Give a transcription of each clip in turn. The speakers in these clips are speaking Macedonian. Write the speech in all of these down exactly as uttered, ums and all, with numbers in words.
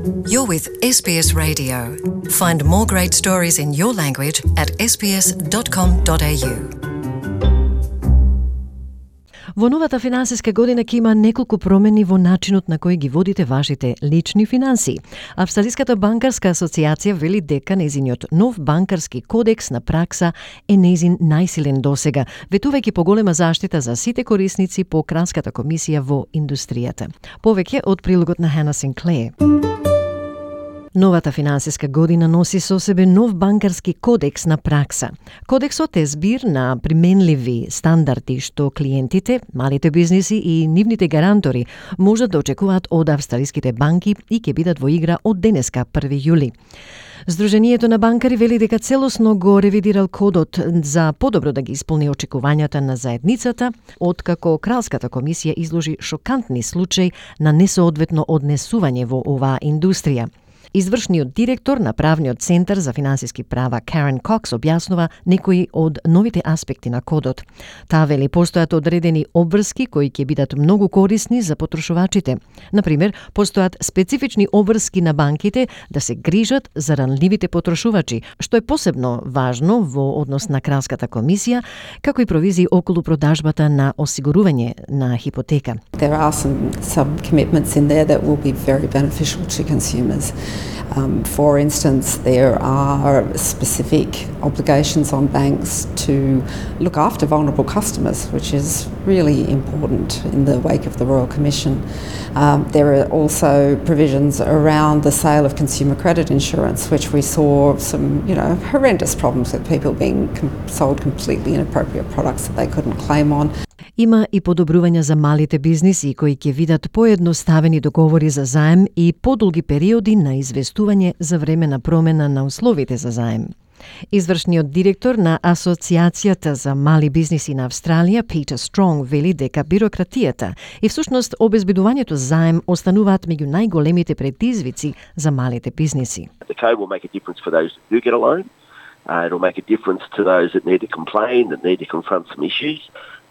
You're with S B S Radio. Find more great stories in your language at s b s dot com dot a u. Во новата финансиска година ќе има неколку промени во начинот на кој ги водите вашите лични финанси. Австралиската банкарска асоциација вели дека нејзиниот нов банкарски кодекс на пракса е нејзин најсилен досега, ветувајќи поголема заштита за сите корисници по Кралската комисија во индустријата. Повеќе од прилогот на Хана Синклеер. Новата финансиска година носи со себе нов банкарски кодекс на пракса. Кодексот е збир на применливи стандарди што клиентите, малите бизниси и нивните гарантори можат да очекуваат од австралиските банки и ќе бидат во игра од денеска први јули. Сдруженијето на банкари вели дека целосно го ревидирал кодот за подобро да ги исполни очекувањата на заедницата, откако Кралската комисија изложи шокантни случаи на несоодветно однесување во оваа индустрија. Извршниот директор на Правниот центар за финансиски права Карен Кокс објаснува некои од новите аспекти на кодот. Таа вели постојат одредени обврски кои ќе бидат многу корисни за потрошувачите. Например, постојат специфични обврски на банките да се грижат за ранливите потрошувачи, што е посебно важно во однос на Кралската комисија, како и провизии околу продажбата на осигурување на хипотека. There are some, some commitments in there that will be very beneficial to consumers. Um, for instance, there are specific obligations on banks to look after vulnerable customers, which is really important in the wake of the Royal Commission. Um, there are also provisions around the sale of consumer credit insurance, which we saw some, you know, horrendous problems with people being com- sold completely inappropriate products that they couldn't claim on. Има и подобрувања за малите бизниси кои ќе видат поедноставени договори за заем и подолги периоди на известување за време на промена на условите за заем. Извршниот директор на Асоциацијата за мали бизниси на Австралија, Питер Стронг, вели дека бирократијата и всушност обезбедувањето заем остануваат меѓу најголемите предизвици за малите бизниси. The code will make a difference for those who get a loan. Uh, it'll make a difference to those that need to complain, that need to confront some issues.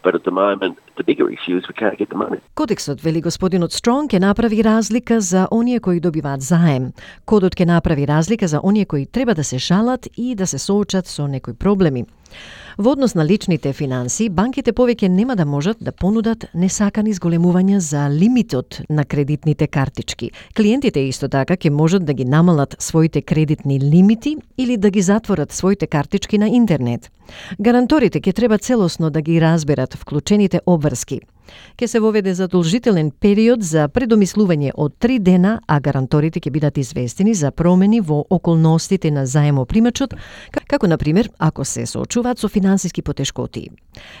But at the moment, the bigger issue is we can't get the money. Кодексот, вели господинот Стронг, ќе направи разлика за оние кои добиваат заем. Кодот ќе направи разлика за оние кои треба да се шалат и да се соочат со некои проблеми. Во однос на личните финанси, банките повеќе нема да можат да понудат несакани зголемувања за лимитот на кредитните картички. Клиентите исто така ќе можат да ги намалат своите кредитни лимити или да ги затворат своите картички на интернет. Гаранторите ќе треба целосно да ги разберат вклучените обврски. Ке се воведе задолжителен период за предомислување од три дена, а гаранторите ќе бидат известени за промени во околностите на заемопримачот, како на пример ако се соочуваат со финансиски потешкоти.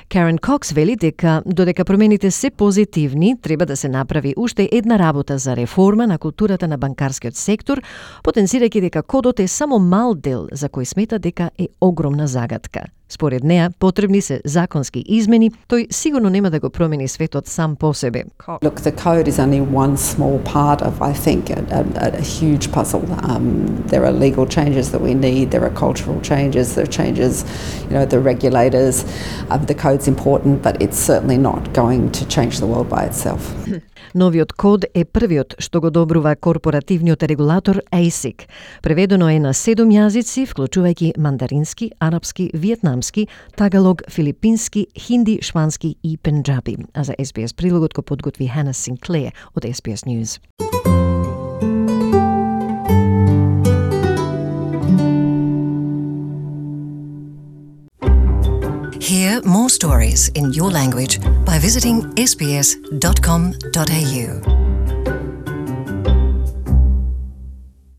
Карен Кокс вели дека додека промените се позитивни, треба да се направи уште една работа за реформа на културата на банкарскиот сектор, потенцирајќи дека кодот е само мал дел за кој смета дека е огромна загадка. Според неа, потребни се законски измени, тој сигурно нема да го промени светот сам по себе. Look, the code is only one small part of, I think, a, a, a huge puzzle. Um, there are legal changes that we need, there are cultural changes, there are changes, you know, the regulators. Um, the code's important, but it's certainly not going to change the world by itself. Новиот код е првиот што го добрува корпоративниот регулатор А И С И К. Преведено е на седум јазици, вклучувајќи мандарински, арапски, виетнамски, тагалог, филипински, хинди, шпански и пенџаби. А за С Б С прилогот го подготви Хана Синклеер од С Б С News. Hear more stories in your language by visiting s b s dot com dot a u.